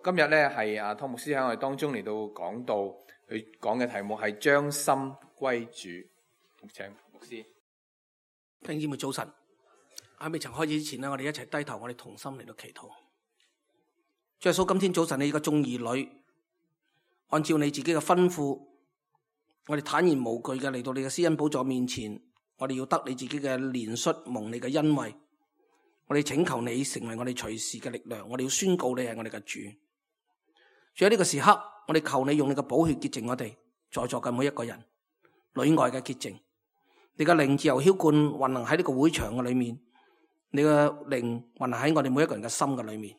今日咧係湯牧師喺我哋當中嚟到講道，佢講嘅題目係將心歸主。請牧師。弟兄姊妹早晨，喺未曾開始之前呢，我哋一齊低頭，我哋同心嚟到祈禱。主耶穌，今天早晨你個眾兒女，按照你自己嘅吩咐，我哋坦然無懼嘅嚟到你嘅施恩寶座面前，我哋要得你自己嘅憐恤，蒙你嘅恩惠。我哋請求你成為我哋隨時嘅力量，我哋要宣告你係我哋嘅主。主喺呢個時刻，我哋求你用你嘅寶血潔淨我哋在座嘅每一個人，裏外嘅潔淨。你嘅靈自由澆灌運行喺呢個會場嘅裏面，你嘅靈運行喺我哋每一個人嘅心嘅裏面。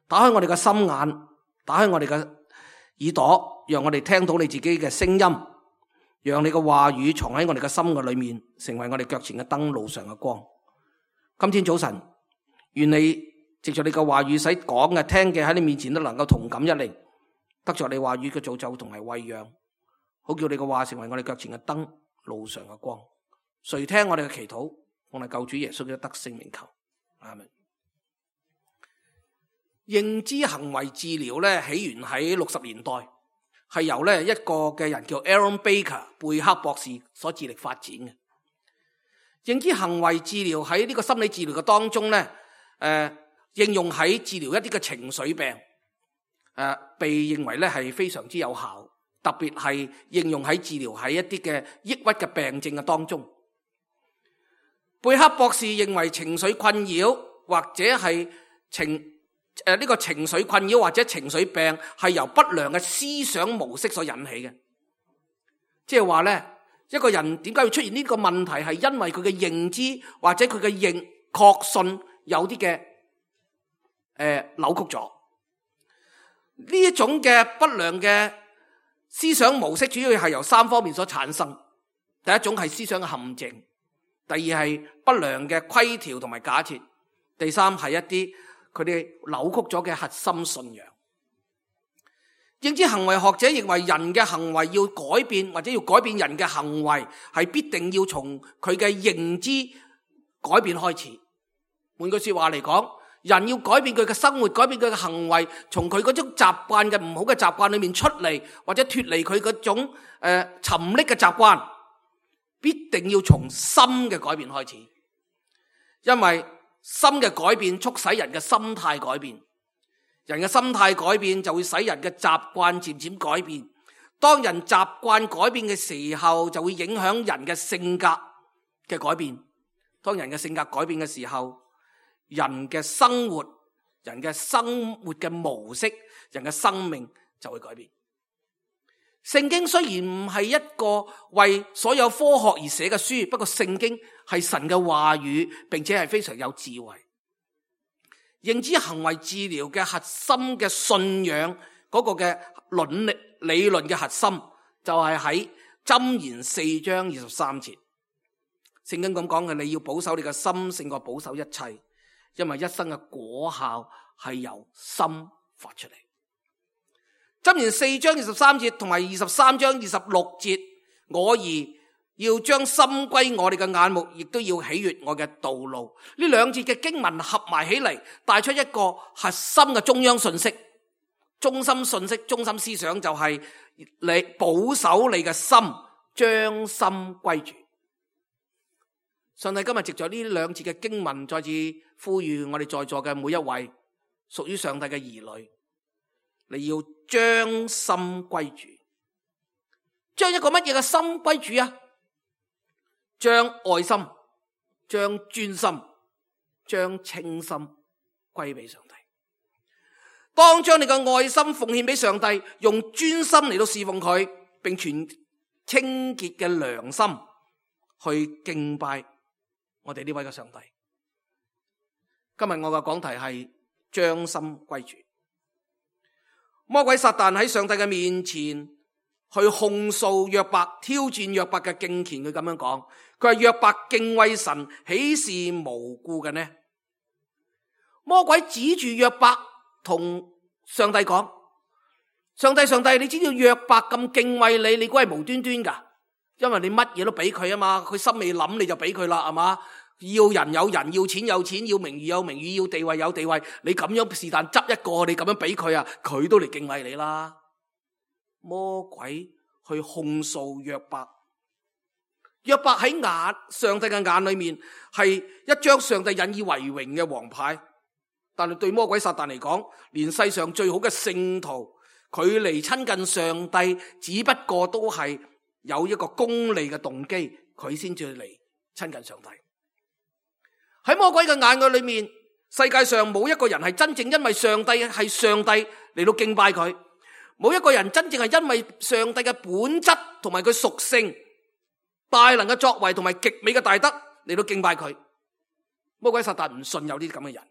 打開我哋嘅心眼，打開我哋嘅耳朵，讓我哋聽到你自己嘅聲音，讓你嘅話語藏喺我哋嘅心嘅裏面，成為我哋腳前嘅燈，路上嘅光。今天早晨，願你藉着你嘅話語，使講嘅聽嘅喺你面前都能夠同感一靈，得着你話語嘅造就同埋餵養，好叫你嘅話成為我哋腳前嘅燈，路上嘅光。垂聽我哋嘅祈禱，我哋救主耶穌嘅得勝名求，阿們。認知行為治療咧，起源喺60年代，係由咧一個嘅人叫 Aaron Baker 貝克博士所致力發展嘅。認知行為治療喺呢個心理治療嘅當中咧，應用喺治療一啲嘅情緒病，被認為咧係非常之有效，特別係應用喺治療喺一啲嘅抑鬱嘅病症嘅當中。貝克博士認為情緒困擾或者係呢個情緒困擾或者情緒病係由不良嘅思想模式所引起嘅，即係話咧，一個人點解會出現呢個問題，係因為佢嘅認知或者佢嘅確信有啲嘅扭曲咗。呢一種嘅不良嘅思想模式主要係由3方面所產生。第一種係思想嘅陷阱，第二係不良嘅規條同埋假設，第三係一啲佢哋扭曲咗嘅核心信仰。認知行為學者認為人嘅行為要改變，或者要改變人嘅行為，係必定要從佢嘅認知改變開始。換句說話嚟講，人要改變佢嘅生活，改變佢嘅行為，從佢嗰種習慣嘅唔好嘅習慣裏面出嚟，或者脫離佢嗰種沉溺嘅習慣，必定要從心嘅改變開始。因為心嘅改變促使人嘅心態改變，人嘅心態改變就會使人嘅習慣漸漸改變。當人習慣改變嘅時候，就會影響人嘅性格嘅改變。當人嘅性格改變嘅時候，人嘅生活嘅模式，人嘅生命就會改變。聖經雖然唔係一個為所有科學而寫嘅書，不過聖經係神嘅話語，並且係非常有智慧。認知行為治療嘅核心嘅信仰嗰個嘅理論嘅核心，就係喺箴言4章23節。聖經咁講嘅，你要保守你嘅心勝過保守一切，因為一生嘅果效係由心發出嚟。箴言4章23節同埋23章26節，我兒要將心歸我哋嘅眼目，亦都要喜悅我嘅道路。呢兩節嘅經文合埋起嚟，帶出一個核心嘅中央信息。中心信息、中心思想就係你保守你嘅心，將心歸主。上帝今日藉着呢兩節嘅經文，再次呼籲我哋在座嘅每一位屬於上帝嘅兒女，你要將心歸主。將一個乜嘢嘅心歸主啊？將愛心、將專心、將清心歸俾上帝。當將你嘅愛心奉獻俾上帝，用專心嚟到侍奉佢，並存清潔嘅良心去敬拜我哋呢位嘅上帝。今日我嘅講題係將心歸主。魔鬼撒旦喺上帝嘅面前去控訴約伯，挑戰約伯嘅敬虔。佢咁樣講，佢話約伯敬畏神，豈是無故嘅呢？魔鬼指住約伯同上帝講，上帝，你知道約伯咁敬畏你估係無端端噶？因為你乜嘢都俾佢啊嘛，佢心未諗你就俾佢啦，係嘛？要人有人，要錢有錢，要名譽有名譽，要地位有地位。你咁樣是但執一個，你咁樣俾佢啊，佢都嚟敬畏你啦。魔鬼去控訴約伯，約伯喺上帝嘅眼裏面係一張上帝引以為榮嘅王牌，但係對魔鬼撒旦嚟講，連世上最好嘅聖徒，佢嚟親近上帝，只不過都係有一個功利嘅動機，佢先至嚟親近上帝。喺魔鬼嘅眼嘅裏面，世界上冇一個人係真正因為上帝係上帝嚟到敬拜佢，冇一個人真正係因為上帝嘅本質同埋佢屬性、大能嘅作為同埋極美嘅大德嚟到敬拜佢。魔鬼撒旦唔信有啲咁嘅人，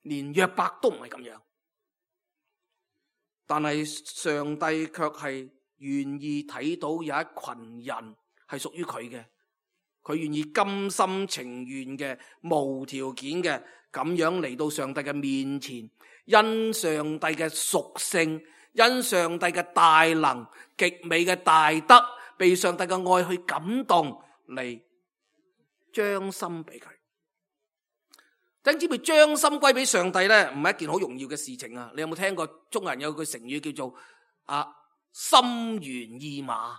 連約伯都唔係咁樣，但係上帝卻係願意睇到有一群人係屬於佢嘅，佢願意甘心情願嘅、無條件嘅咁樣嚟到上帝嘅面前，因上帝嘅屬性、因上帝嘅大能、極美嘅大德，被上帝嘅愛去感動嚟將心俾佢。等知唔知將心歸俾上帝咧，唔係一件好容易嘅事情啊！你有冇聽過中國人有句成語叫做心猿意馬？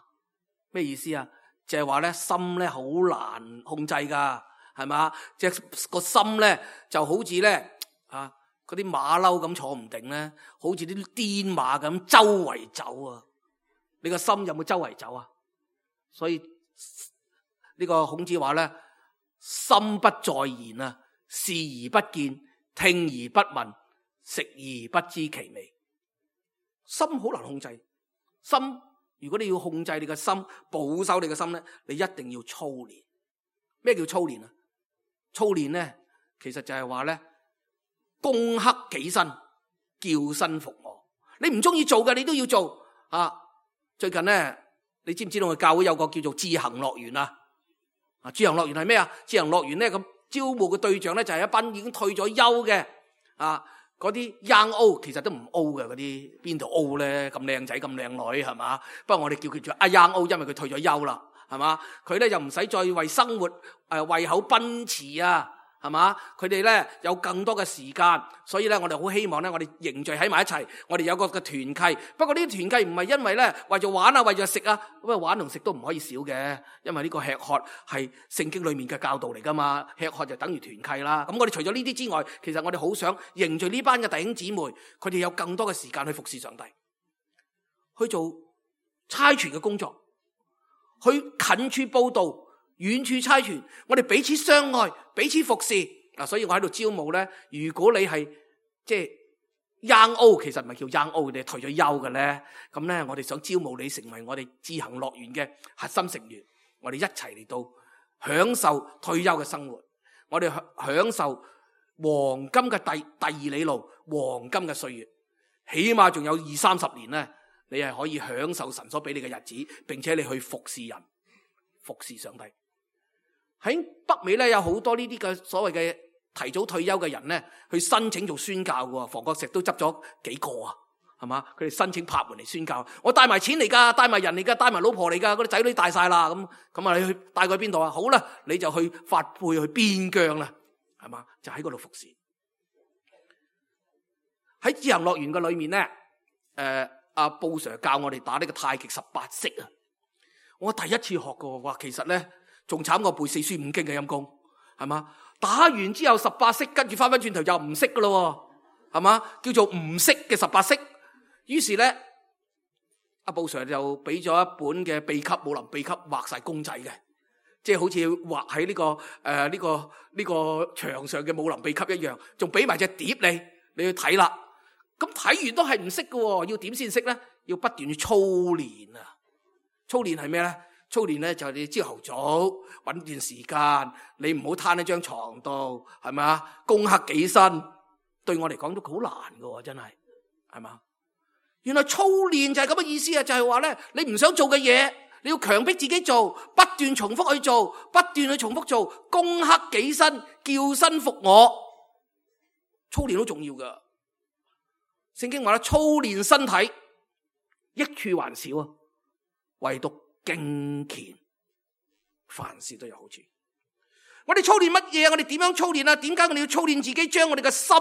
咩意思啊？就係話咧，心咧好難控制噶，係嘛？即係個心咧就好似咧嗰啲馬騮咁坐唔定咧，好似啲癲馬咁周圍走啊！你個心有冇周圍走啊？所以呢個孔子話咧，心不在焉啊，視而不見，聽而不聞，食而不知其味。心好難控制，心如果你要控制你嘅心，保守你嘅心咧，你一定要操練。咩叫操練啊？操練咧，其實就係話咧，攻克己身，叫身服我。你唔中意做嘅，你都要做啊！最近咧，你知唔知道我教會有個叫做智行樂園啊？智行樂園係咩啊？智行樂園咧，咁招募嘅對象咧就係一班已經退咗休嘅嗰啲 young old， 其實都唔 old 嘅嗰啲，邊度 old 咧？咁靚仔咁靚女係嘛？不過我哋叫佢做young old， 因為佢退咗休啦，係嘛？佢咧又唔使再為生活胃口奔馳啊，係嘛？佢哋咧有更多嘅時間，所以咧我哋好希望咧，我哋凝聚喺埋一齊，我哋有個嘅團契。不過呢啲團契唔係因為咧為咗玩啊，為咗食啊，咁啊玩同食都唔可以少嘅，因為呢個吃喝係聖經裏面嘅教導嚟噶嘛，吃喝就等於團契啦。咁我哋除咗呢啲之外，其實我哋好想凝聚呢班嘅弟兄姊妹，佢哋有更多嘅時間去服侍上帝，去做差傳嘅工作，去近處報道，遠處差傳，我哋彼此相愛，彼此服侍。所以我喺度招募咧，如果你係即係 young old， 其實唔係叫 young old， 你係退咗休嘅咧，咁咧我哋想招募你成為我哋智行樂園嘅核心成員，我哋一齊嚟到享受退休嘅生活，我哋享受黃金嘅第二里路，黃金嘅歲月，起碼仲有20-30年咧，你係可以享受神所俾你嘅日子，並且你去服侍人，服侍上帝。喺北美咧有好多呢啲嘅所謂嘅提早退休嘅人咧，去申請做宣教嘅，房角石都執咗幾個啊，係嘛？佢哋申請拍門嚟宣教，我帶埋錢嚟噶，帶埋人嚟噶，帶埋老婆嚟噶，嗰啲仔女大晒啦，咁啊，你去帶佢去邊度啊？好啦，你就去發配去邊疆啦，係嘛？就喺嗰度服侍。喺智行樂園嘅裏面咧，阿布 Sir 教我哋打呢個太極18式啊，我第一次學過，哇，其實咧仲慘過背四書五經嘅陰功，係嘛？打完之後18式，跟住翻轉頭又唔識噶咯，係嘛？叫做唔識嘅18式。於是咧，阿布 Sir 就俾咗一本嘅秘笈武林秘笈，畫晒公仔嘅，即係好似畫喺呢個牆上嘅武林秘笈一樣，仲俾埋隻碟你去睇啦。咁睇完都係唔識嘅，要點先識咧？要不斷去操練啊！操練係咩咧？操練咧就係你朝頭早搵段時間，你唔好攤喺張床度，係咪啊？攻克己身，對我嚟講都好難嘅，真係嘛？原來操練就係咁嘅意思啊！就係話咧，你唔想做嘅嘢，你要強迫自己做，不斷重複去做，不斷去重複做，攻克己身，叫身服我。操練好重要噶。聖經話咧，操練身體益處還少啊，唯獨敬虔，凡事都有好處。我哋操練乜嘢？我哋點樣操練啊？點解我哋要操練自己，將我哋嘅心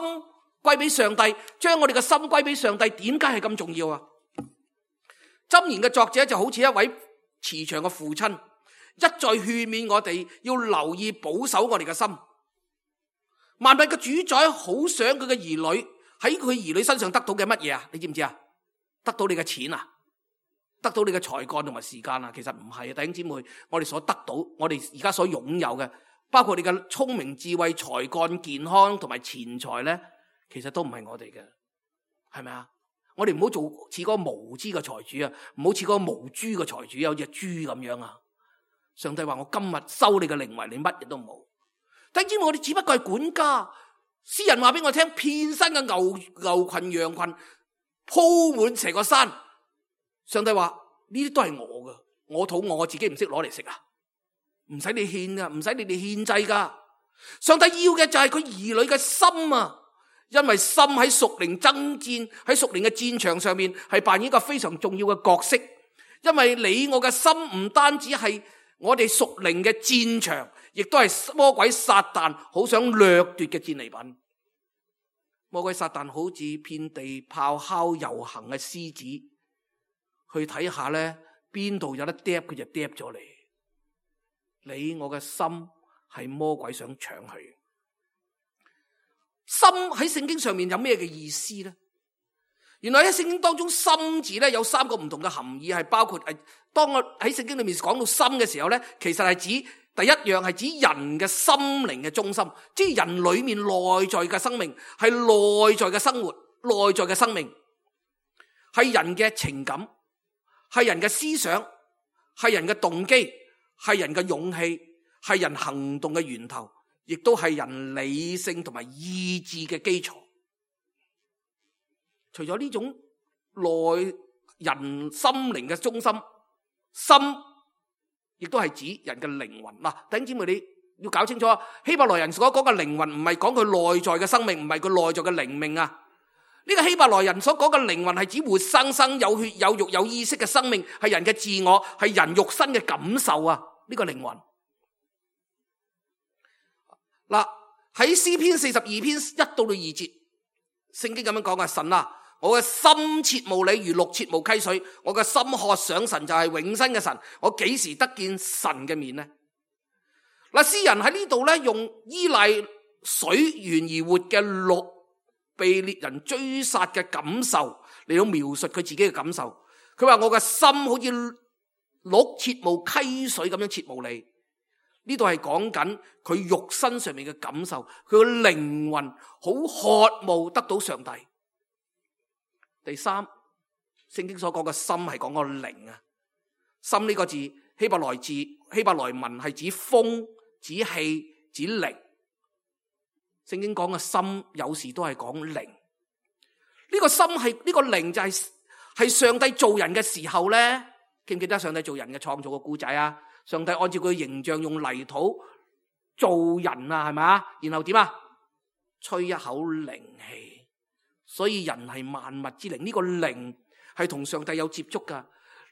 歸俾上帝，將我哋嘅心歸俾上帝？點解係咁重要啊？箴言嘅作者就好似一位慈祥嘅父親，一再勸勉我哋要留意保守我哋嘅心。萬物嘅主宰好想佢嘅兒女喺佢兒女身上得到嘅乜嘢啊？你知唔知啊？得到你嘅錢啊？得到你嘅才幹同埋時間啊？其實唔係啊，弟兄姊妹，我哋所得到，我哋而家所擁有嘅，包括你嘅聰明智慧、才幹、健康同埋錢財咧，其實都唔係我哋嘅，係咪啊？我哋唔好做似嗰個無知嘅財主啊，唔好似嗰個無豬嘅財主，有隻豬咁樣啊！上帝話我今日收你嘅靈為，你乜嘢都冇。弟兄姊妹，我哋只不過係管家。詩人話俾我聽，遍身嘅牛群羊群鋪滿成個山。上帝話呢啲都係我嘅，我肚餓我自己唔識攞嚟食啊，唔使你獻噶，唔使你哋獻祭噶。上帝要嘅就係佢兒女嘅心啊，因為心喺屬靈爭戰，喺屬靈嘅戰場上面係扮演一個非常重要嘅角色。因為你我嘅心唔單止係我哋屬靈嘅戰場，亦都係魔鬼撒旦好想掠奪嘅戰利品。魔鬼撒旦好似遍地咆哮遊行嘅獅子，去睇下咧邊度有得嗒佢就嗒咗你。你我嘅心係魔鬼想搶去。心喺聖經上面有咩嘅意思咧？原來喺聖經當中，心字咧有三個唔同嘅含義，係包括當我喺聖經裏面講到心嘅時候咧，其實係指第一樣係指人嘅心靈嘅中心，即係人裏面內在嘅生命，係內在嘅生活，內在嘅生命，係人嘅情感，係人嘅思想，係人嘅動機，係人嘅勇氣，係人行動嘅源頭，亦都係人理性同埋意志嘅基礎。除咗呢種內人心靈嘅中心，心亦都係指人嘅靈魂。嗱，弟兄姊妹，你要搞清楚，希伯來人所講嘅靈魂唔係講佢內在嘅生命，唔係佢內在嘅靈命啊。呢個希伯來人所講嘅靈魂係指活生生有血有肉有意識嘅生命，係人嘅自我，係人肉身嘅感受啊。呢個靈魂。嗱，喺詩篇42篇1到2節，聖經咁樣講啊，神啊，我嘅心切慕你如鹿切慕溪水，我嘅心渴想神，就係永生嘅神，我幾時得見神嘅面呢？嗱，詩人喺呢度咧，用依賴水源而活嘅鹿被獵人追殺嘅感受嚟到描述佢自己嘅感受。佢話我嘅心好似鹿切慕溪水咁樣切慕你。呢度係講緊佢肉身上面嘅感受，佢嘅靈魂好渴慕得到上帝。第三，聖經所講嘅心係講個靈啊。心呢個字希伯來文係指風、指氣、指靈。聖經講嘅心有時都係講靈。呢個心係呢個靈就係上帝造人嘅時候咧，記唔記得上帝造人嘅創造嘅故仔啊？上帝按照佢嘅形象用泥土造人啊，係咪啊？然後點啊？吹一口靈氣，所以人係萬物之靈。呢個靈係同上帝有接觸噶。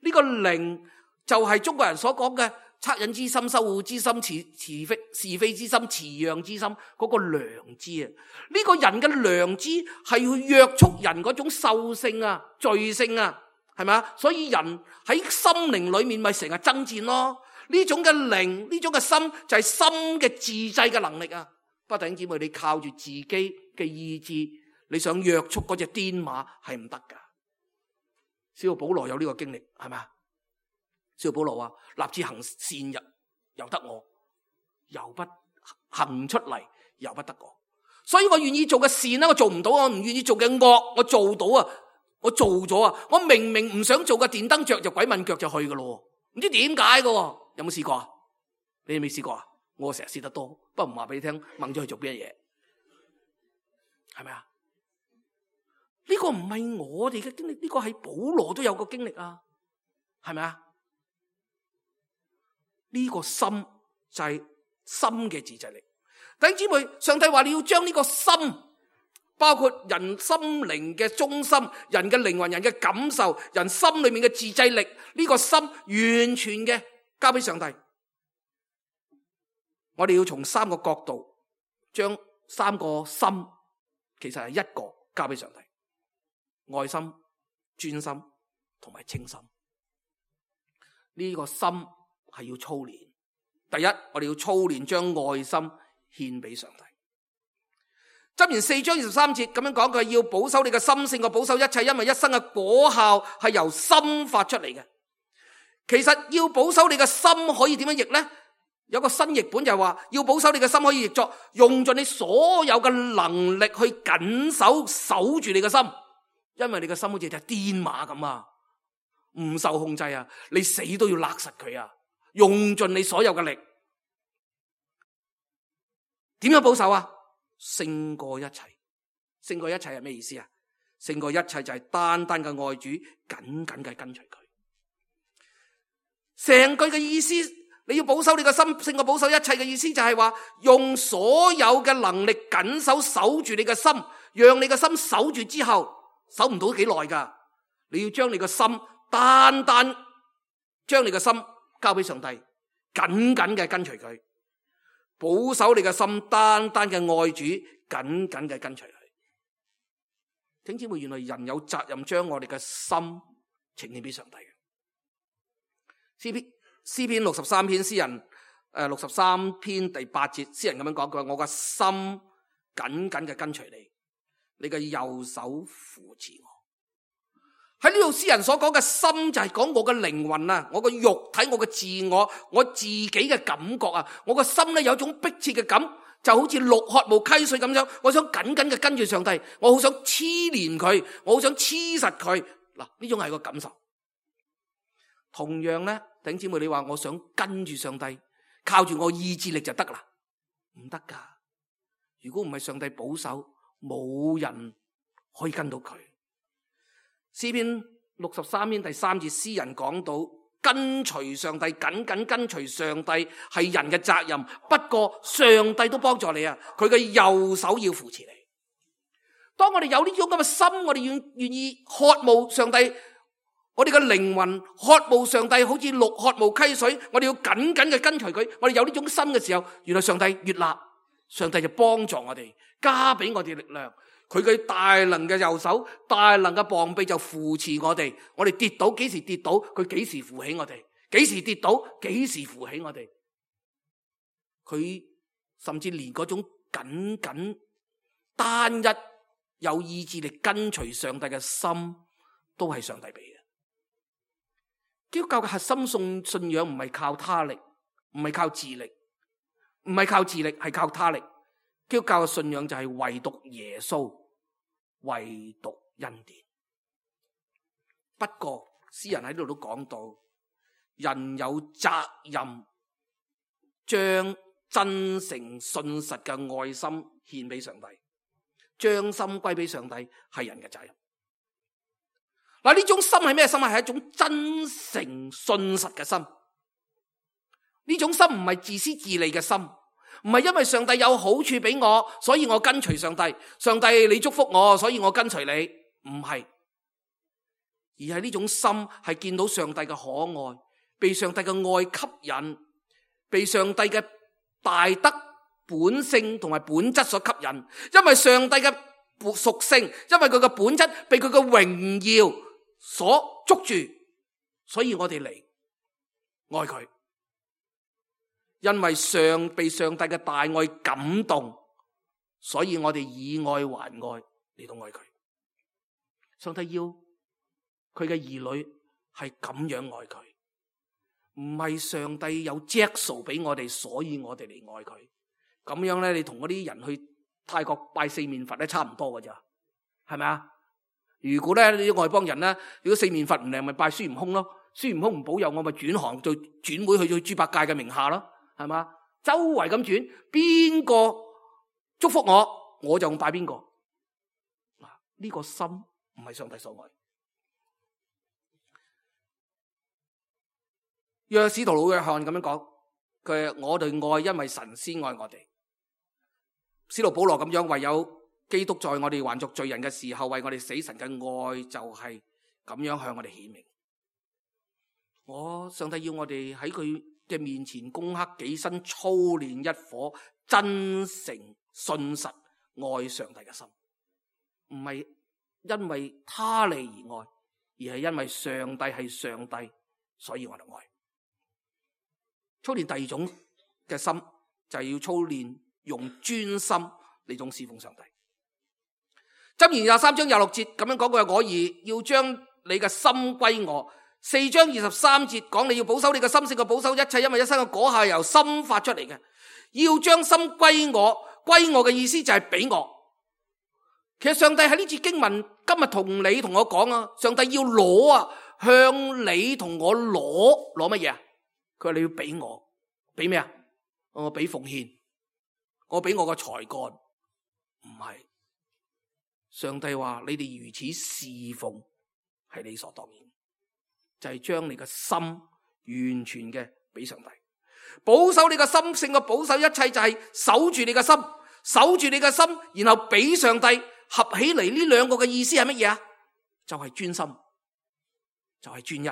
呢個靈就係中國人所講嘅惻隱之心、羞惡之心、是非之心、辭讓之心，嗰個良知啊。呢個人嘅良知係去約束人嗰種獸性啊、罪性啊，係咪啊？所以人喺心靈裏面咪成日爭戰咯。呢種嘅靈，呢種嘅心就係心嘅自制嘅能力啊！不過弟兄姊妹，你靠住自己嘅意志，你想約束嗰隻癲馬係唔得噶。使徒保羅有呢個經歷，係咪啊？使徒保羅話：立志行善由得我，由不行出嚟，由不得我。所以我願意做嘅善咧，我做唔到；我唔願意做嘅惡，我做到啊！我做咗啊！我明明唔想做嘅電燈着就鬼問腳就去噶咯，唔知點解噶。有冇試過啊？你未試過啊？我成日試得多，不過唔話俾你聽，掹咗去做邊嘢，係咪啊？呢個唔係我哋嘅經歷，呢個係保羅都有個經歷啊，係咪啊？呢個心就係心嘅自制力。弟兄姊妹，上帝話你要將呢個心，包括人心靈嘅中心、人嘅靈魂、人嘅感受、人心裏面嘅自制力，呢個心完全嘅交俾上帝。我哋要從三個角度將三個心，其實係一個交俾上帝：愛心、專心同埋清心。呢個心係要操練。第一，我哋要操練將愛心獻俾上帝。箴言4章23節咁樣講，佢要保守你嘅心勝過保守一切，因為一生嘅果效係由心發出嚟嘅。其實要保守你嘅心可以點樣譯呢？有個新譯本就係話，要保守你嘅心可以譯作用盡你所有嘅能力去緊守住你嘅心，因為你嘅心好似隻癲馬咁啊，唔受控制啊，你死都要勒實佢啊，用盡你所有嘅力。點樣保守啊？勝過一切。勝過一切係咩意思啊？勝過一切就係單單嘅愛主，緊緊嘅跟隨佢。成句嘅意思，你要保守你嘅心勝過保守一切嘅意思就係話，用所有嘅能力緊守住你嘅心，讓你嘅心守住之後，守唔到幾耐噶。你要將你嘅心單單將你嘅心交俾上帝，緊緊嘅跟隨佢。保守你嘅心，單單嘅愛主，緊緊嘅跟隨佢。弟兄姊妹，原來人有責任將我哋嘅心呈獻俾上帝嘅。詩篇63篇，詩人63篇第8節，詩人咁樣講，佢話：我嘅心緊緊嘅跟隨你，你嘅右手扶持我。喺呢度詩人所講嘅心就係講我嘅靈魂啊，我嘅肉體，我嘅自我，我自己嘅感覺啊，我個心咧有種迫切嘅感，就好似鹿渴慕溪水咁樣，我想緊緊嘅跟住上帝，我好想黐連佢，我好想黐實佢。嗱，呢種係個感受。同樣咧，弟兄姊妹，你話我想跟住上帝，靠住我意志力就得啦？唔得噶。如果唔係上帝保守，冇人可以跟到佢。詩篇63篇第3節，詩人講到跟隨上帝，緊緊跟隨上帝係人嘅責任。不過上帝都幫助你啊，佢嘅右手要扶持你。當我哋有呢種咁嘅心，我哋願意渴慕上帝，我哋嘅靈魂渴慕上帝，好似鹿渴慕溪水。我哋要緊緊嘅跟隨佢。我哋有呢種心嘅時候，原來上帝悅納，上帝就幫助我哋，加俾我哋力量。佢嘅大能嘅右手，大能嘅膀臂就扶持我哋。我哋跌倒，幾時跌倒，佢幾時扶起我哋；幾時跌倒，幾時扶起我哋。佢甚至連嗰種緊緊單一有意志力跟隨上帝嘅心，都係上帝俾嘅。基督教嘅核心信仰唔係靠他力，唔係靠智力，唔係靠智力，係靠他力。基督教嘅信仰就係唯獨耶穌，唯獨恩典。不過詩人喺呢度都講到，人有責任將真誠信實嘅愛心獻俾上帝，將心歸俾上帝係人嘅責任。嗱，呢種心係咩心啊？係一種真誠信實嘅心。呢種心唔係自私自利嘅心，唔係因為上帝有好處俾我，所以我跟隨上帝。上帝你祝福我，所以我跟隨你。唔係，而係呢種心係見到上帝嘅可愛，被上帝嘅愛吸引，被上帝嘅大德本性同埋本質所吸引。因為上帝嘅屬性，因為佢嘅本質被佢嘅榮耀所捉住，所以我哋嚟愛佢。因為被上帝嘅大愛感動，所以我哋以愛還愛嚟到愛佢。上帝要佢嘅兒女係咁樣愛佢，唔係上帝有著數俾我哋，所以我哋嚟愛佢。咁樣咧，你同嗰啲人去泰國拜四面佛咧差唔多㗎咋，係咪啊？如果咧啲外邦人咧，如果四面佛唔靈，咪拜孫悟空咯。孫悟空唔保佑我，咪轉行做轉會去豬八戒嘅名下咯。係嘛？周圍咁轉，邊個祝福我，我就拜邊個。嗱，呢個心唔係上帝所愛。約使徒老約翰咁樣講，佢我哋愛，因為神先愛我哋。使徒保羅咁樣，唯有基督在我哋還作罪人嘅時候，為我哋死，神嘅愛就係咁樣向我哋顯明。上帝要我哋喺佢嘅面前攻克己身，操練一顆真誠信實愛上帝嘅心，唔係因為他利而愛，而係因為上帝係上帝，所以我哋愛。操練第二種嘅心就係要操練用專心嚟種侍奉上帝。箴言23章26節咁樣講過，我兒要將你嘅心歸我。4章23節講你要保守你嘅心勝過保守一切，因為一生嘅果效由心發出嚟嘅。要將心歸我，歸我嘅意思就係俾我。其實上帝喺呢節經文今日同你同我講啊，上帝要攞啊，向你同我攞乜嘢啊？佢話你要俾我，俾咩啊？我俾奉獻，我俾我個才幹，唔係。上帝話你哋如此侍奉係理所當然，就係將你嘅心完全嘅俾上帝，保守你嘅心勝過保守一切，就係守住你嘅心，守住你嘅心，然後俾上帝。合起嚟呢兩個嘅意思係乜嘢啊？就係專心，就係專一。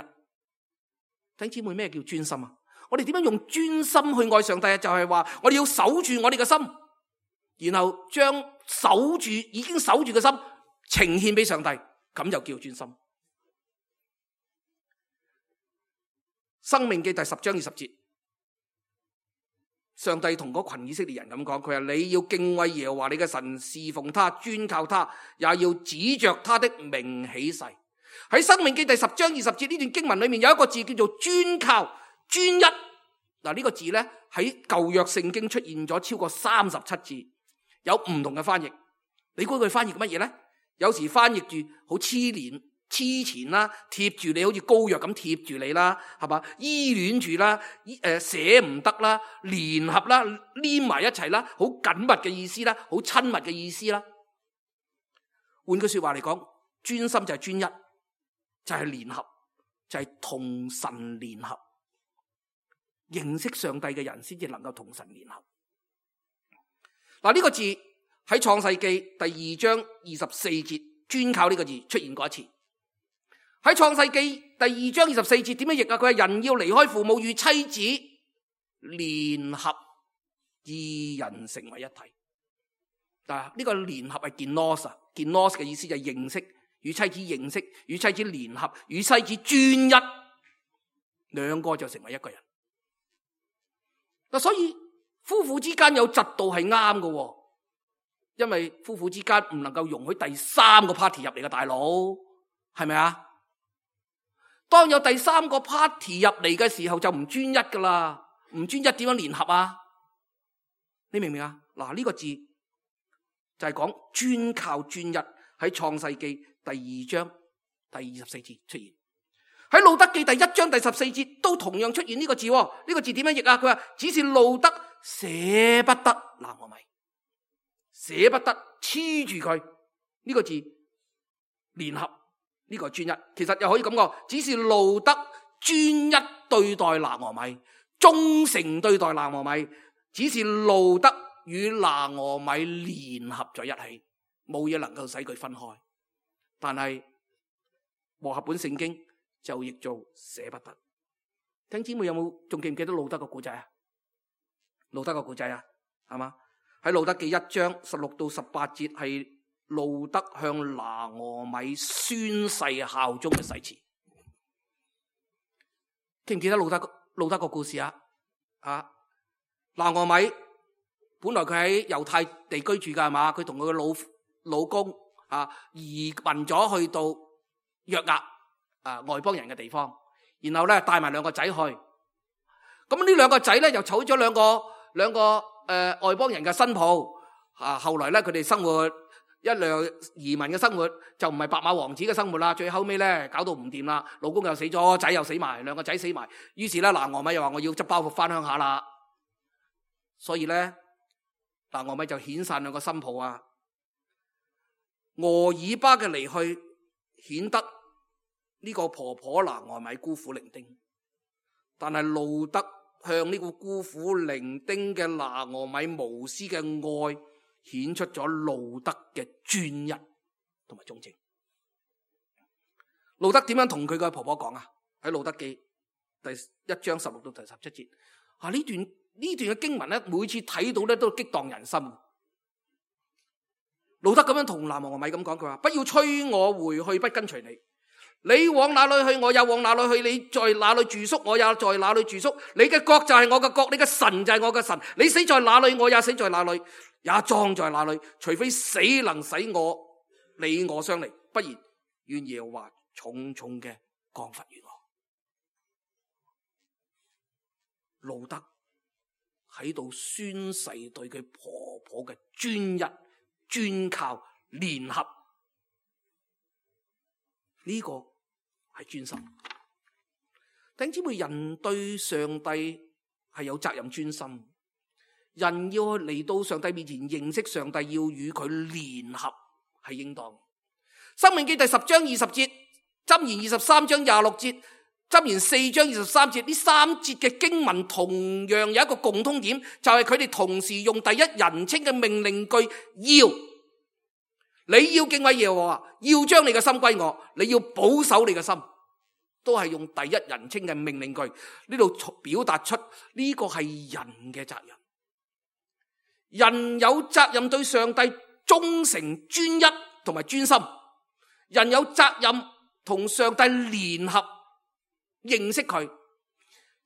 弟兄姊妹，咩叫專心啊？我哋點樣用專心去愛上帝啊？就係話我哋要守住我哋嘅心，然後將已經守住嘅心呈獻俾上帝，咁就叫專心。申命記第10章20節，上帝同嗰群以色列人咁講，佢話你要敬畏耶和華你嘅神，侍奉他，專靠他，也要指着他的名起誓。喺申命記第10章20節呢段經文裏面有一個字叫做專靠、專一。嗱，呢個字咧喺舊約聖經出現咗超過37次，有唔同嘅翻譯。你估佢翻譯乜嘢咧？有時翻譯住好黐纏啦，貼住你，好似膏藥咁貼住你啦，係嘛？依戀住啦，捨唔得啦，聯合啦，黏埋一齊啦，好緊密嘅意思啦，好親密嘅意思啦。換句說話嚟講，專心就係專一，就係聯合，就係同神聯合。認識上帝嘅人先至能夠同神聯合。嗱，呢個字喺創世記第2章24節，專靠呢個字出現過一次。喺創世記第2章24節點樣譯啊？佢係人要離開父母與妻子聯合，二人成為一體。嗱，呢個聯合係genos嘅意思就係認識，與妻子認識，與妻子聯合，與妻子專一，兩個就成為一個人。嗱，所以夫婦之間有嫉妒係啱嘅，因為夫婦之間唔能夠容許第三個 party 入嚟嘅，大佬係咪啊？當有第三個 party 入嚟嘅時候就唔專一噶啦，唔專一點樣聯合啊？你明唔明啊？嗱，呢個字就係講專靠專一，喺創世記第2章第24節出現，喺路德記第1章第14節都同樣出現呢個字。呢個字點樣譯啊？佢話只是路德捨不得拿俄米，捨不得黐住佢，呢個字聯合。呢個專一，其實又可以咁講，只是路德專一對待拿俄米，忠誠對待拿俄米，只是路德與拿俄米聯合在一起，冇嘢能夠使佢分開。但係和合本聖經就譯做捨不得。聽姊妹有冇仲記唔記得路德個故仔啊？路德個故仔啊，係嘛？喺路德記1章16到18節係路德向拿俄米宣誓效忠嘅誓詞。記唔記得路德個故事啊？拿俄米本來佢喺猶太地居住噶，係嘛？佢同佢嘅老公移民咗去到約押外邦人嘅地方，然後咧帶埋兩個仔去。咁呢兩個仔咧又娶咗兩個外邦人嘅新抱。後來咧佢哋生活一輛移民嘅生活，就唔係白馬王子嘅生活啦。最後尾咧搞到唔掂啦，老公又死咗，仔又死埋，兩個仔死埋。於是咧拿俄米又話我要執包袱翻鄉下啦。所以咧拿俄米就遣散兩個新抱啊。俄珥巴嘅離去，顯得呢個婆婆拿俄米孤苦伶仃。但係路德向呢個孤苦伶仃嘅拿俄米無私嘅愛，顯出咗路德嘅專一同埋忠誠。路德點樣同佢嘅婆婆講啊？喺路德記第1章16到第17節。呢段嘅經文咧，每次睇到咧都激盪人心。路德咁樣同南王米咁講，佢話：不要催我回去，不跟隨你。你往哪裏去，我也往哪裏去；你在哪裏住宿，我也在哪裏住宿。你嘅國就係我嘅國，你嘅神就係我嘅神。你死在哪裏，我也死在哪裏，也葬在哪裏。除非死能使你我相離，不然願耶和華重重嘅降罰於我。路德喺度宣誓對佢婆婆嘅專一、專靠、聯合，呢個係專心。弟兄姊妹，人對上帝係有責任專心，人要嚟到上帝面前認識上帝，要與佢聯合係應當。申命記第10章20節，箴言23章26節，箴言4章23節，呢3節嘅經文同樣有一個共通點，就係佢哋同時用第一人稱嘅命令句，你要敬畏耶和華，要將你嘅心歸我，你要保守你嘅心，都係用第一人稱嘅命令句。呢度表達出呢個係人嘅責任，人有責任對上帝忠誠、專一同埋專心，人有責任同上帝聯合，認識佢。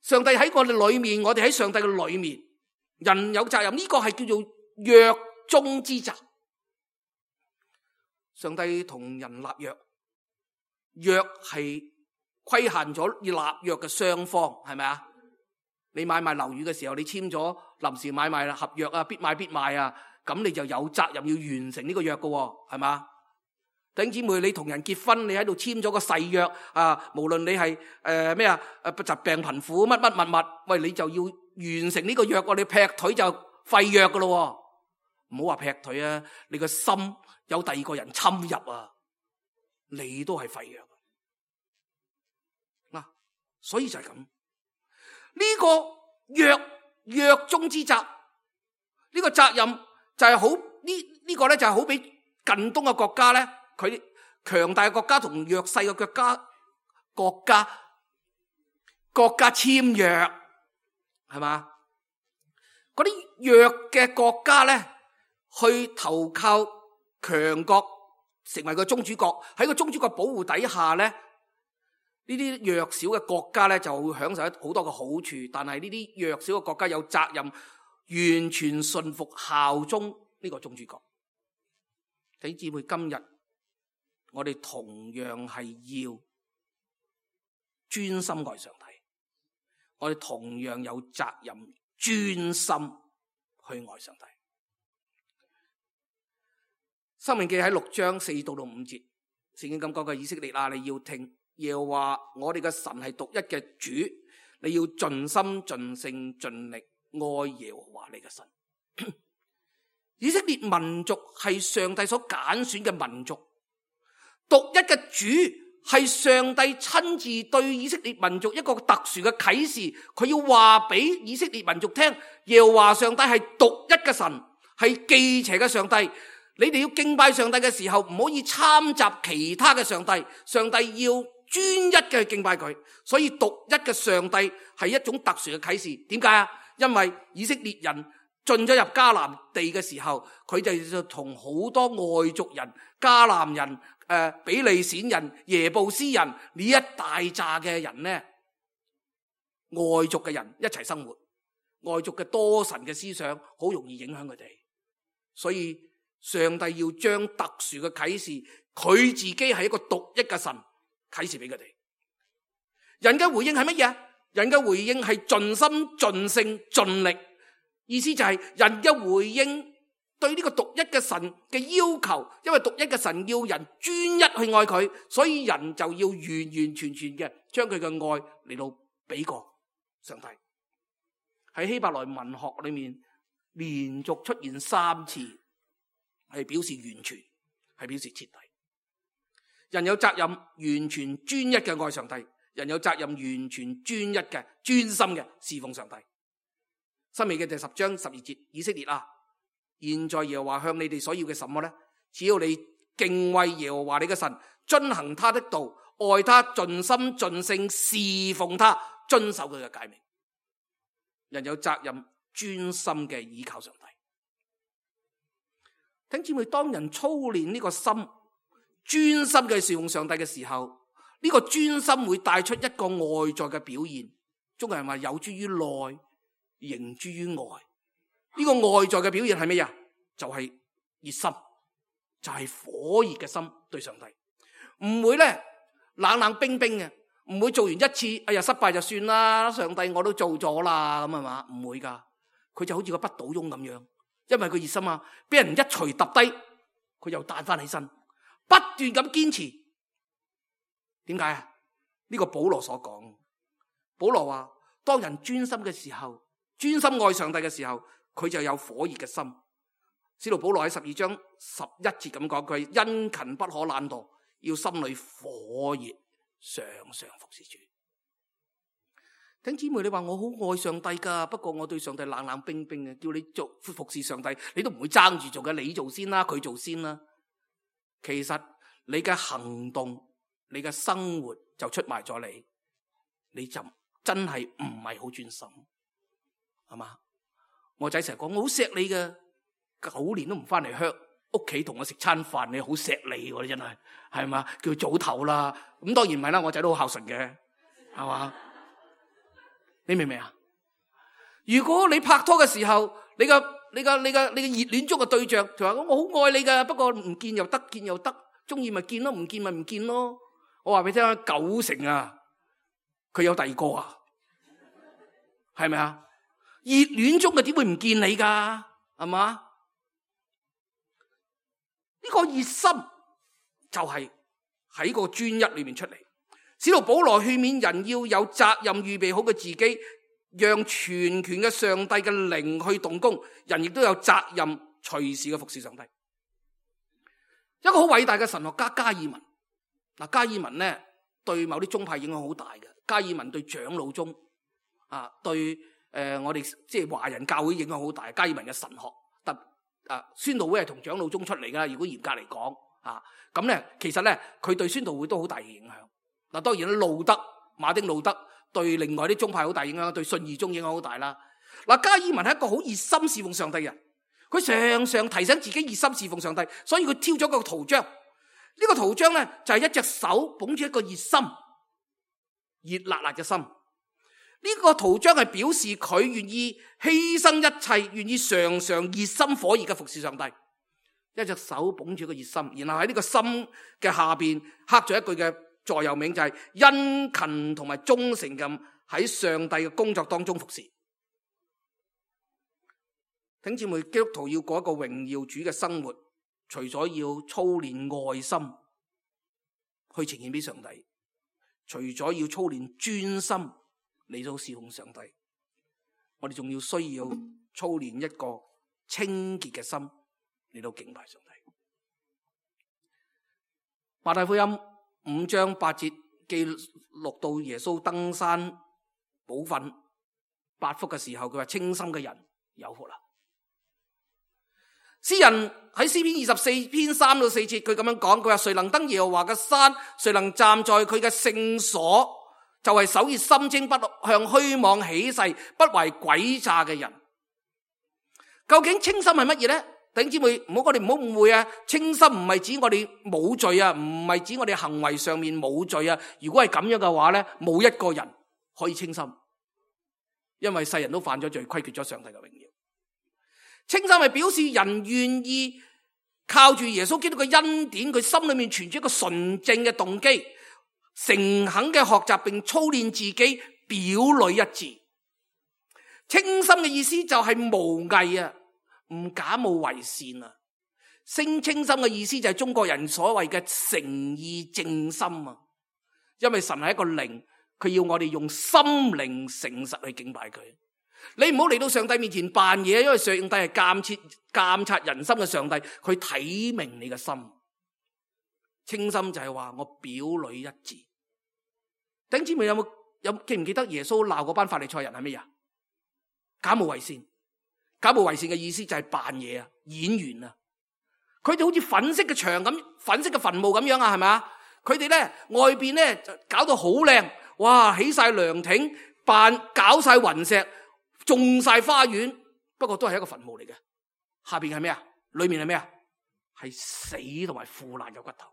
上帝喺我哋裏面，我哋喺上帝嘅裏面，人有責任，呢個係叫做約中之責。上帝同人立約，約係規限咗要立約嘅雙方，係咪啊？你買賣樓宇嘅時候，你簽咗臨時買賣合約啊，必買必賣啊，咁你就有責任要完成呢個約嘅，係嘛？弟兄姊妹，你同人結婚，你喺度簽咗個誓約啊，無論你係疾病貧苦乜乜物，喂，你就要完成呢個約，你劈腿就廢約噶咯，唔好話劈腿啊，你個心有第二個人侵入啊，你都係廢約嗱，所以就係咁，呢個約中之責，呢個責任就係好呢個咧就係好比近東嘅國家咧，佢強大嘅國家同弱勢嘅國家簽約，係嘛？嗰啲弱嘅國家咧，去投靠強國，成為個宗主國，喺個宗主國保護底下咧，呢啲弱小嘅國家咧就會享受好多嘅好處，但係呢啲弱小嘅國家有責任完全順服效忠呢個宗主國。弟兄姊妹，今日我哋同樣係要專心愛上帝，我哋同樣有責任專心去愛上帝。申命記喺6章4到5節，聖經咁講嘅，以色列啊，你要聽耶和華我哋嘅神係獨一嘅主，你要盡心盡性盡力愛耶和華你嘅神。以色列民族係上帝所揀選嘅民族，獨一嘅主係上帝親自對以色列民族一個特殊嘅啟示，佢要話俾以色列民族聽，耶和華上帝係獨一嘅神，係忌邪嘅上帝。你哋要敬拜上帝嘅時候，唔可以參雜其他嘅上帝，上帝要專一嘅去敬拜佢。所以獨一嘅上帝係一種特殊嘅啟示。點解啊？因為以色列人進咗入迦南地嘅時候，佢哋就同好多外族人、迦南人、比利閃人、耶布斯人呢一大紮嘅人呢，外族嘅人一齊生活，外族嘅多神嘅思想好容易影響佢哋，所以上帝要將特殊嘅啟示，佢自己係一個獨一嘅神啟示俾佢哋。人嘅回應係乜嘢？人嘅回應係盡心盡性盡力，意思就係人嘅回應對呢個獨一嘅神嘅要求，因為獨一嘅神要人專一去愛佢，所以人就要完完全全嘅將佢嘅愛嚟到俾過上帝。喺希伯來文學裏面連續出現3次，係表示完全，係表示徹底。人有責任完全專一嘅愛上帝，人有責任完全專一嘅專心嘅侍奉上帝。申命記第10章12節，以色列啊，現在耶和華向你哋所要嘅什麼呢？只要你敬畏耶和華你嘅神，遵行他的道，愛他，盡心盡性侍奉他，遵守佢嘅誡命。人有責任專心嘅倚靠上帝。弟兄姊妹，當人操練呢個心，專心嘅侍奉上帝嘅時候，呢個專心會帶出一個外在嘅表現。中國人話有諸於內，形諸於外。呢個外在嘅表現係咩呀？就係熱心，就係火熱嘅心對上帝，唔會咧冷冷冰冰嘅，唔會做完一次，哎呀失敗就算啦，上帝我都做咗啦，咁係嘛？唔會噶，佢就好似個不倒翁咁樣，因為佢熱心啊，俾人一錘揼低，佢又彈翻起身，不斷咁堅持。點解啊？呢個保羅所講，保羅話當人專心嘅時候，專心愛上帝嘅時候，佢就有火熱嘅心。使徒保羅喺12章11節咁講，佢殷勤不可懶惰，要心裏火熱，常常服侍主。弟兄姊妹，你話我好愛上帝噶，不過我對上帝冷冷冰冰嘅，叫你做服侍上帝，你都唔會爭住做嘅，你做先啦，佢做先啦。其實你嘅行動，你嘅生活就出賣咗你，你就真係唔係好專心，係嘛？我仔成日講我好錫你嘅，9年都唔翻嚟鄉屋企同我食餐飯，你好錫你，你真係係嘛？叫佢早唞啦。咁當然唔係啦，我仔都好孝順嘅，係嘛？你明唔明啊？如果你拍拖嘅時候，你嘅熱戀中嘅對象就話我好愛你噶，不過唔見又得，見又得，中意咪見咯，唔見咪唔見咯。我話俾你聽，90%啊，佢有第二個啊，係咪啊？熱戀中嘅點會唔見你噶？係嘛？呢個熱心就係喺個專一裏面出嚟。使徒保羅勸勉人要有責任預備好嘅自己，讓全權嘅上帝嘅靈去動工。人亦都有責任隨時嘅服侍上帝。一個好偉大嘅神學家加爾文，嗱，加爾文咧對某啲宗派影響好大嘅。加爾文對長老宗啊，對我哋即係華人教會影響好大。加爾文嘅神學，宣道會係同長老宗出嚟噶。如果嚴格嚟講啊，咁咧其實咧佢對宣道會都好大嘅影響。嗱，當然路德馬丁路德對另外啲宗派好大影響，對信義宗影響好大啦。嗱，加爾文係一個好熱心侍奉上帝嘅人，佢常常提醒自己熱心侍奉上帝，所以佢挑咗個圖章。呢個圖章咧就係一隻手捧住一個熱心熱辣辣嘅心。呢個圖章係表示佢願意犧牲一切，願意常常熱心火熱嘅服侍上帝。一隻手捧住一個熱心，然後喺呢個心嘅下邊刻咗一句嘅座右銘，就係殷勤同埋忠誠咁喺上帝嘅工作當中服侍。弟兄姊妹，基督徒要過一個榮耀主嘅生活，除咗要操練愛心去呈現俾上帝，除咗要操練專心嚟到侍奉上帝，我哋仲要需要操練一個清潔嘅心嚟到敬拜上帝。馬太福音5章8節記錄到耶穌登山寶訓8福嘅時候，佢話清心嘅人有福啦。詩人喺詩篇24篇3到4節，佢咁樣講，佢話誰能登耶和華嘅山，誰能站在佢嘅聖所，就係手熱心清，不向虛妄起誓，不懷詭詐嘅人。究竟清心係乜嘢咧？弟兄姊妹，我哋唔好誤會啊！清心唔係指我哋冇罪啊，唔係指我哋行為上面冇罪啊。如果係咁樣嘅話咧，冇一個人可以清心，因為世人都犯咗罪，虧缺咗上帝嘅榮耀。清心係表示人願意靠住耶穌基督嘅恩典，佢心裏面存住一個純正嘅動機，誠懇嘅學習並操練自己，表裏一致。清心嘅意思就係無偽啊，唔假冒為善啊。清心嘅意思就係中國人所謂嘅誠意正心啊。因為神係一個靈，佢要我哋用心靈誠實去敬拜佢。你唔好嚟到上帝面前扮嘢，因為上帝係監察人心嘅上帝，佢睇明你嘅心。清心就係話我表裏一致。弟兄姊妹，記唔記得耶穌鬧嗰班法利賽人係咩呀？假冒為善。假冒為善嘅意思就係扮嘢啊，演員啊。佢哋好似粉飾嘅牆咁，粉飾嘅墳墓咁樣啊，係咪啊？佢哋咧外邊咧就搞到好靚，哇，起晒涼亭，搞晒雲石，種晒花園，不過都係一個墳墓嚟嘅。下邊係咩啊？裏面係咩啊？係死同埋腐爛嘅骨頭。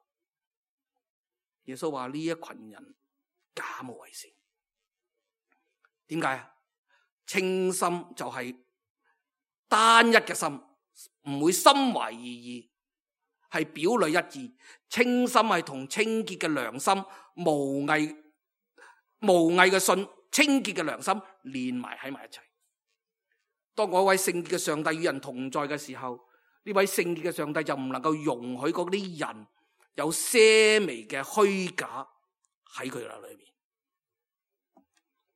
耶穌話呢一群人假冒為善，點解啊？清心就係單一嘅心，唔會心懷二意，係表裏一致。清心係同清潔嘅良心、無偽嘅信、清潔嘅良心連埋喺埋一齊。當嗰位聖潔嘅上帝與人同在嘅時候，呢位聖潔嘅上帝就唔能夠容許嗰啲人有些微嘅虛假喺佢哋裏面。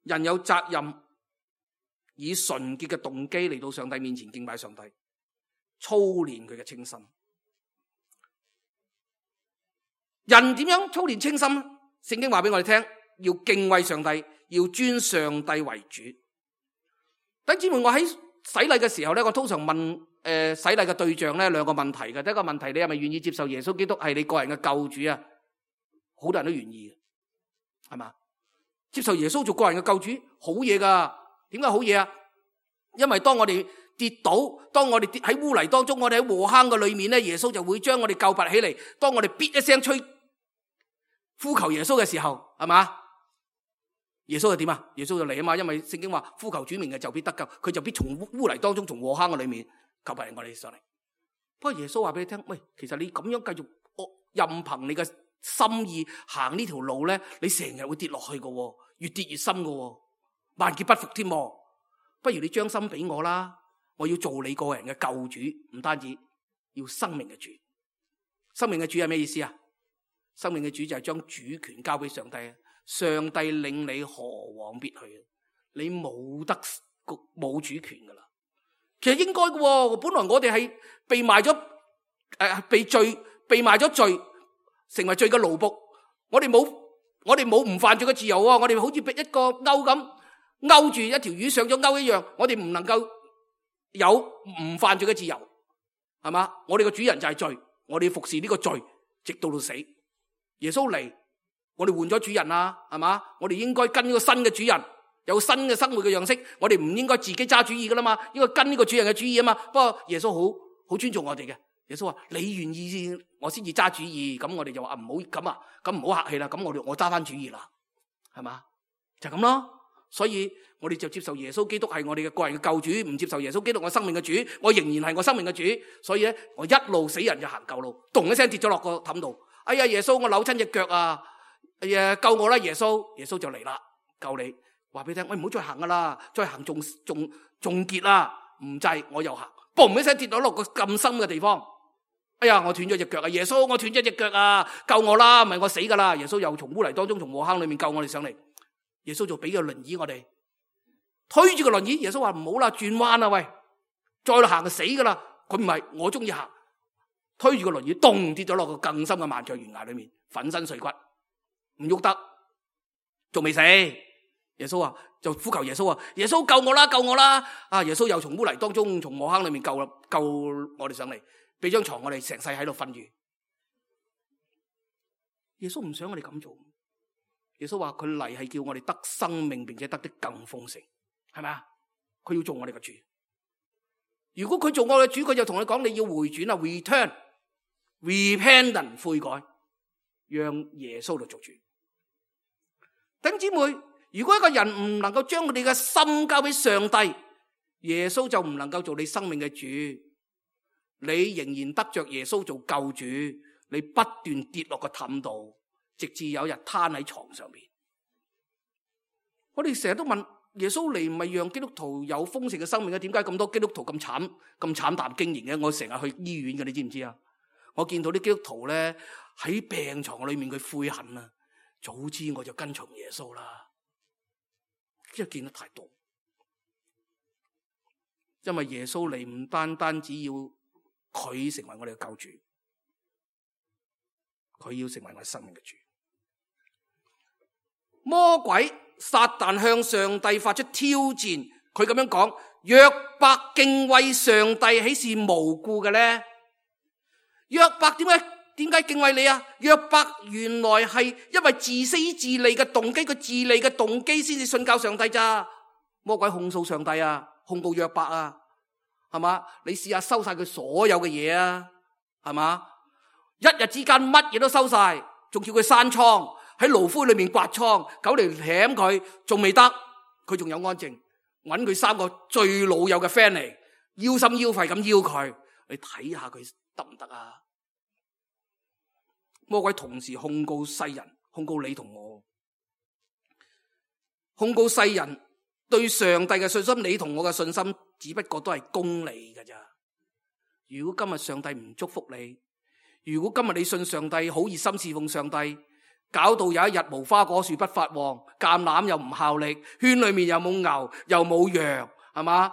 人有責任以純潔嘅動機嚟到上帝面前敬拜上帝，操練佢嘅清心。人點樣操練清心？聖經話俾我哋聽，要敬畏上帝，要尊上帝為主。弟兄姊妹，我喺洗禮嘅時候咧，我通常問洗禮嘅對象咧兩個問題嘅。第一個問題，你係咪願意接受耶穌基督係你個人嘅救主啊？好多人都願意嘅，係嘛？接受耶穌做個人嘅救主，好嘢噶。點解好嘢啊？因為當我哋跌倒，當我哋跌喺污泥當中，我哋喺禍坑嘅裏面咧，耶穌就會將我哋救拔起嚟。當我哋咇一聲呼求耶穌嘅時候，係嘛？耶穌就點啊？耶穌就嚟啊嘛，因為聖經話呼求主名嘅就必得救，佢就必從污泥當中，從禍坑嘅裏面救拔我哋上嚟。不過耶穌話俾你聽，喂，其實你咁樣繼續任憑你嘅心意行呢條路咧，你成日會跌落去嘅，越跌越深嘅，萬劫不復添。不如你將心俾我啦，我要做你個人嘅救主，唔單止要生命嘅主。生命嘅主係咩意思啊？生命嘅主就係將主權交俾上帝，上帝領你何往必去，你冇主權噶啦。其實應該嘅，本來我哋係被賣咗被賣咗罪，成為罪嘅奴僕。我哋冇唔犯罪嘅自由啊！我哋好似俾一個鈎咁勾住一條魚上咗鈎一樣，我哋唔能夠有唔犯罪嘅自由，係嘛？我哋嘅主人就係罪，我哋要服侍呢個罪直到死。耶穌嚟，我哋換咗主人啦，係嘛？我哋應該跟呢個新嘅主人，有新嘅生活嘅樣式。我哋唔應該自己揸主意噶啦嘛，應該跟呢個主人嘅主意啊嘛。不過耶穌好尊重我哋嘅。耶穌話：你願意我先至揸主意。咁我哋就話唔好咁啊，咁唔好客氣啦。咁我揸翻主意啦，係嘛？就咁咯。所以我哋就接受耶穌基督係我哋嘅個人嘅救主，唔接受耶穌基督我生命嘅主，我仍然係我生命嘅主。所以咧，我一路死人就行舊路，咚一聲跌咗落個氹度。哎呀，耶穌，我扭親隻腳啊！哎呀，救我啦，耶穌！耶穌就嚟啦，救你。話俾你聽，喂，唔好再行噶啦，再行仲結啦，唔制，我又行，嘣一聲跌咗落個咁深嘅地方。哎呀，我斷咗隻腳啊！耶穌，我斷咗隻腳啊！救我啦，唔係我死噶啦！耶穌又從污泥當中，從禍坑裏面救我哋上嚟。耶穌就俾個輪椅我哋，推住個輪椅。耶穌話唔好啦，轉彎啦，喂，再行就死噶啦。佢唔係，我中意行。推住個輪椅，咚跌咗落個更深嘅萬丈懸崖裏面，粉身碎骨，唔喐得，仲未死。耶穌話就呼求耶穌啊，耶穌救我啦，救我啦！啊，耶穌又從污泥當中，從禍坑裏面救我哋上嚟，俾張床我哋成世喺度瞓住。耶穌唔想我哋咁做，耶穌話佢嚟係叫我哋得生命，並且得的更豐盛，係咪啊？佢要做我哋嘅主。如果佢做我嘅主，佢就同你講，你要回轉啊 ，return、repentance 悔改，讓耶穌嚟做主。弟兄姊妹，如果一個人唔能夠將佢哋嘅心交俾上帝，耶穌就唔能夠做你生命嘅主。你仍然得着耶穌做救主，你不斷跌落個氹度，直至有一日攤喺床上面。我哋成日都問。耶穌嚟唔係讓基督徒有豐盛嘅生命嘅，點解咁多基督徒咁慘淡經營嘅？我成日去醫院嘅，你知唔知啊？我見到啲基督徒咧喺病床裏面佢悔恨啊，早知我就跟從耶穌啦。因為見得太多，因為耶穌嚟唔單只要佢成為我哋嘅救主，佢要成為我哋生命嘅主。魔鬼撒旦向上帝發出挑戰，佢咁樣講：約伯敬畏上帝，豈是無故嘅呢？約伯點解點解敬畏你啊？約伯原來係因為自私自利嘅動機，佢自利嘅動機先至信教上帝咋。魔鬼控訴上帝啊，控告約伯啊，係嘛？你試下收晒佢所有嘅嘢啊，係嘛？一日之間乜嘢都收晒，仲叫佢閂倉，喺爐灰裏面刮倉，狗嚟舔佢，仲未得，佢仲有安靜，搵佢3個最老友嘅 friend 嚟，腰心腰肺咁邀佢，你睇下佢得唔得啊？魔鬼同時控告世人，控告你同我，控告世人對上帝嘅信心，你同我嘅信心只不過都係功利㗎咋。如果今日上帝唔祝福你，如果今日你信上帝，好熱心侍奉上帝，搞到有一日無花果樹不發旺，橄欖又唔效力，圈裏面又冇牛又冇羊，係嘛？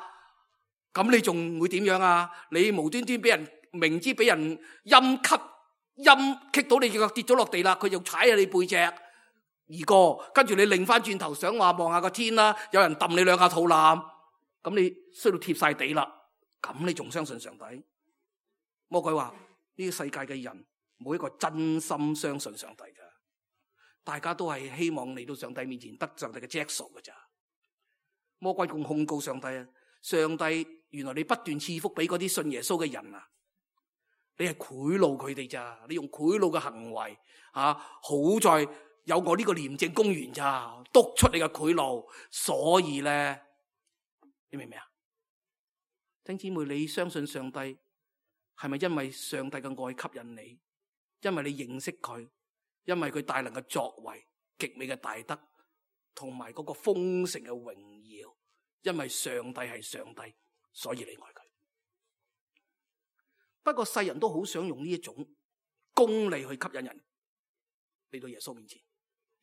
咁你仲會點樣啊？你無端端俾人明知俾人陰棘到你腳跌咗落地啦，佢就踩下你背脊而過，跟住你擰翻轉頭想話望下個天啦，有人揼你2下肚腩，咁你衰到貼晒地啦，咁你仲相信上帝？魔鬼話呢個世界嘅人冇一個真心相信上帝噶，大家都係希望嚟到上帝面前得上帝嘅著數噶咋。魔鬼仲控告上帝啊！上帝原來你不斷賜福俾嗰啲信耶穌嘅人啊，你係賄賂佢哋咋？你用賄賂嘅行為啊，好在有我呢個廉政公員咋，督出你嘅賄賂，所以咧，你明唔明啊？弟兄姊妹，你相信上帝係咪因為上帝嘅愛吸引你？因為你認識佢，因為佢大能嘅作為、極美嘅大德，同埋嗰個豐盛嘅榮耀，因為上帝係上帝，所以你愛佢。不過世人都好想用呢一種功利去吸引人嚟到耶穌面前。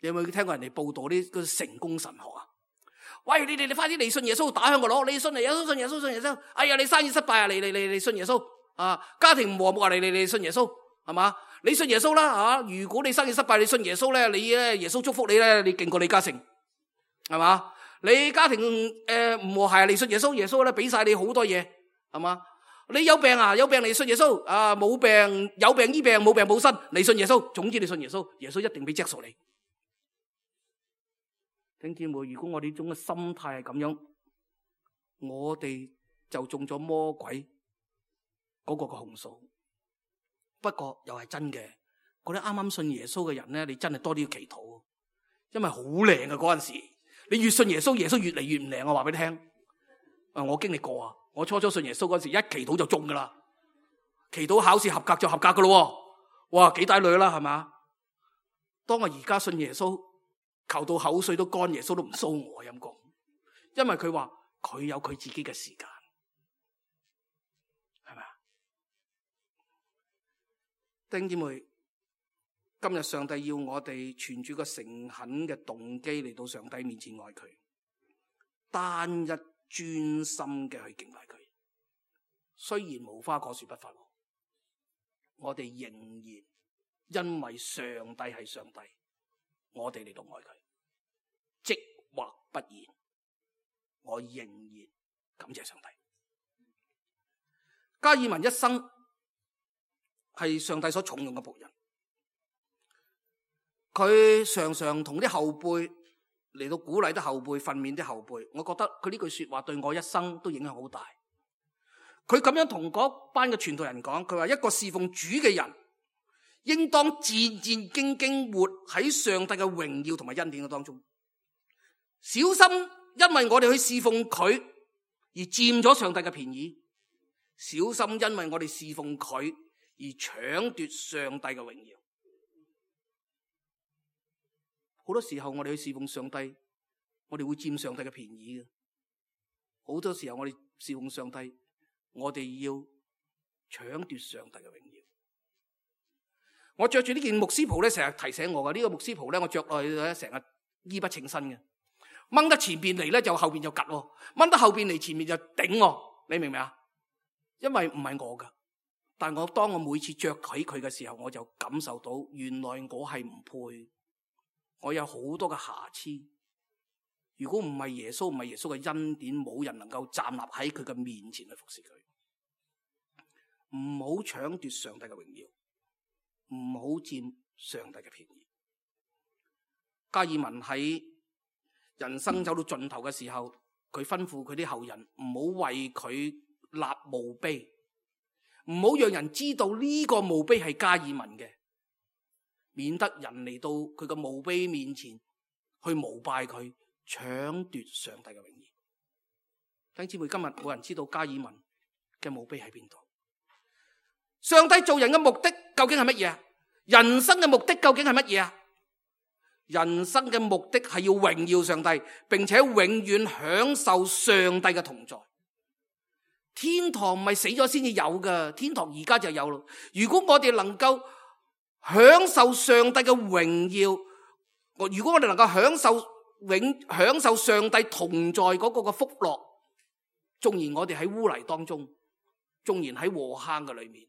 你有冇聽過人哋報道啲嗰成功神學啊？喂，你快啲嚟信耶穌，打響個鑼，你信耶穌，信耶穌，信耶穌。哎呀，你生意失敗啊，你信耶穌啊！家庭唔和睦啊，你信耶穌，係嘛？你信耶穌啦啊！如果你生意失敗，你信耶穌咧，你咧耶穌祝福你咧，你勁過李嘉誠，係嘛？你家庭唔和諧，你信耶穌，耶穌咧俾晒你好多嘢，係嘛？你有病啊，有病你信耶穌啊！冇病有病醫病，冇病冇身，你信耶穌。總之你信耶穌，耶穌一定俾著數你。弟兄姊妹，如果我哋呢種嘅心態係咁樣，我哋就中咗魔鬼嗰個嘅控訴。不過又係真嘅，嗰啲啱啱信耶穌嘅人咧，你真係多啲要祈禱，因為好靚嘅嗰陣時，你越信耶穌，耶穌越嚟越唔靚。我話俾你聽，我經歷過啊，我初初信耶穌嗰陣時，一祈禱就中噶啦，祈禱考試合格就合格噶咯，哇，幾大女啦，係嘛？當我而家信耶穌，求到口水都乾，耶穌都唔騷我陰公，因為佢話佢有佢自己嘅時間，係咪啊？弟兄姊妹，今日上帝要我哋存住個誠懇嘅動機嚟到上帝面前愛佢，單一專心嘅去敬拜佢。雖然無花果樹不發旺，我哋仍然因為上帝係上帝，我哋嚟到愛佢，即或不然，我仍然感謝上帝。加爾文一生係上帝所重用嘅僕人，佢常常同啲後輩嚟到鼓勵啲後輩，訓勉啲後輩。我覺得佢呢句說話對我一生都影響好大。佢咁樣同嗰班嘅傳道人講，佢話一個侍奉主嘅人，應當戰戰兢兢活喺上帝嘅榮耀同埋恩典嘅當中，小心因為我哋去侍奉佢而佔咗上帝嘅便宜，小心因為我哋侍奉佢而搶奪上帝嘅榮耀。好多時候我哋去侍奉上帝，我哋會佔上帝嘅便宜嘅。好多時候我哋侍奉上帝，我哋要搶奪上帝嘅榮耀。我着住呢件牧師袍咧，成日提醒我嘅。呢個牧師袍咧，我着落去咧，成日衣不稱身嘅。掹得前邊嚟咧，就後邊就夾；掹得後邊嚟前面就頂。你明唔明啊？因為唔係我噶，但我當我每次着起佢嘅時候，我就感受到原來我係唔配，我有好多嘅瑕疵。如果唔係耶穌，唔係耶穌嘅恩典，冇人能夠站立喺佢嘅面前去服侍佢。唔好搶奪上帝嘅榮耀。唔好佔上帝嘅便宜。加爾文喺人生走到盡頭嘅時候，佢吩咐佢啲後人唔好為佢立墓碑，唔好讓人知道呢個墓碑係加爾文嘅，免得人嚟到佢個墓碑面前去膜拜佢，搶奪上帝嘅榮耀。弟兄姊妹，今日冇人知道加爾文嘅墓碑喺邊度。上帝做人嘅目的究竟係乜嘢？人生嘅目的究竟係乜嘢？人生嘅目的係要榮耀上帝，並且永遠享受上帝嘅同在。天堂唔係死咗先至有㗎，天堂而家就有咯。如果我哋能夠享受上帝嘅榮耀，如果我哋能夠享受上帝同在嗰個嘅福樂，縱然我哋喺污泥當中，縱然喺禍坑嘅裏面，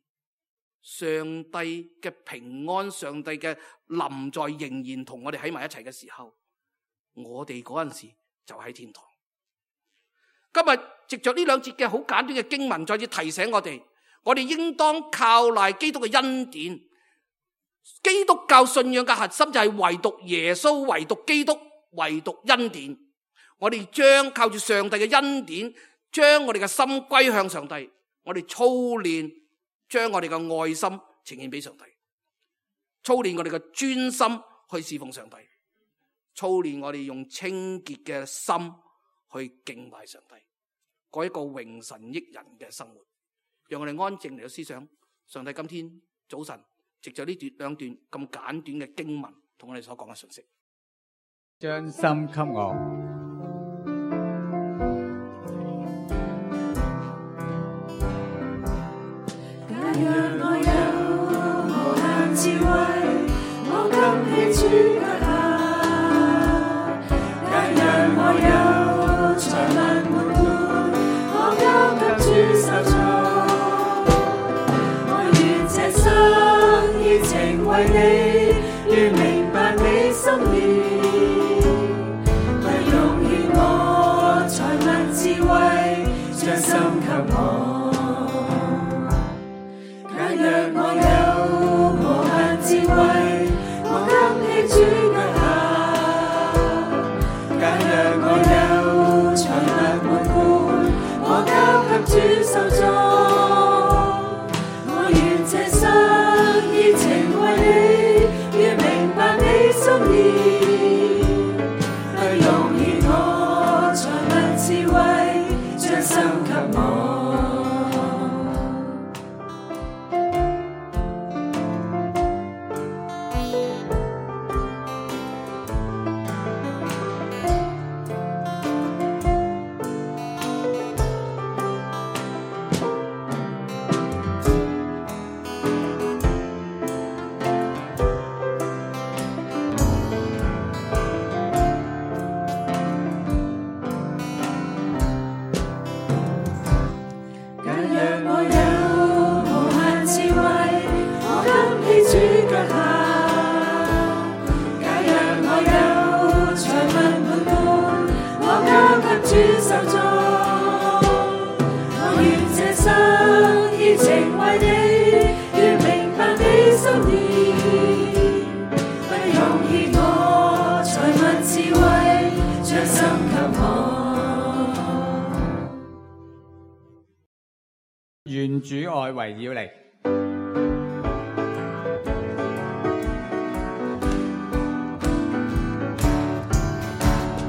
上帝嘅平安，上帝嘅臨在仍然同我哋喺埋一齊嘅時候，我哋嗰陣時就喺天堂。今日藉着呢兩節嘅好簡短嘅經文，再次提醒我哋應當靠賴基督嘅恩典。基督教信仰嘅核心就係唯獨耶穌，唯獨基督，唯獨恩典。我哋將靠住上帝嘅恩典，將我哋嘅心歸向上帝，我哋操練將我哋嘅愛心呈現俾上帝，操練我哋嘅專心去侍奉上帝，操練我哋用清潔嘅心去敬拜上帝，過一個榮神益人嘅生活。讓我哋安靜嚟到思想上帝今天早晨藉着呢兩段咁簡短嘅經文同我哋所講嘅信息。將心給我，假若我有無限智慧，我今起主腳下；假若我有財物滿滿，我交給主手中。我願這生熱情為你，願明白你心意。智慧將心給我，假若我有無限智慧，我今起主腳下；假若我有財物滿滿，我交給主手中。我願這生熱情為你，願明白你心意，去容易我財物智慧。將心給我，願主愛圍繞你。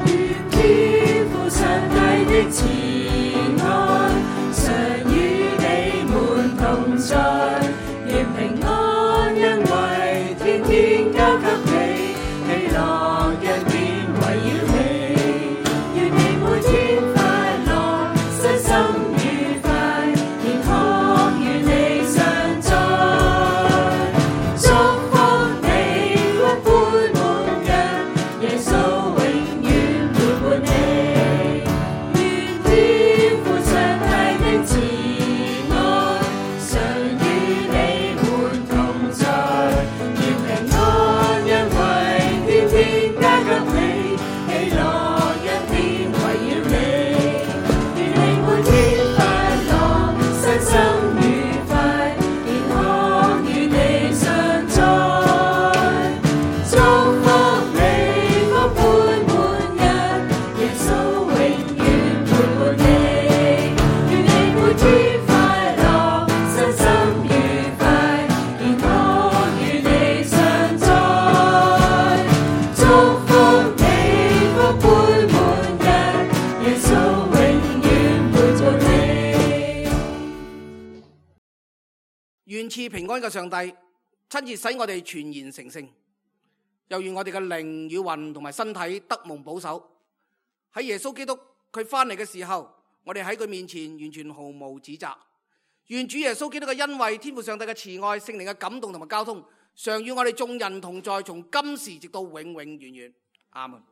願天父上帝的慈愛常與你們同在，願平安恩惠天天交給你，喜樂恩典圍繞你，願你每天快樂，身心天賜平安嘅上帝親自使我哋全然成聖，又願我哋嘅靈與魂同埋身體得蒙保守。喺耶穌基督佢翻嚟嘅時候，我哋喺佢面前完全毫無指責。願主耶穌基督嘅恩惠、天父上帝嘅慈愛、聖靈嘅感動同埋交通，常與我哋眾人同在，從今時直到永永遠遠。阿門。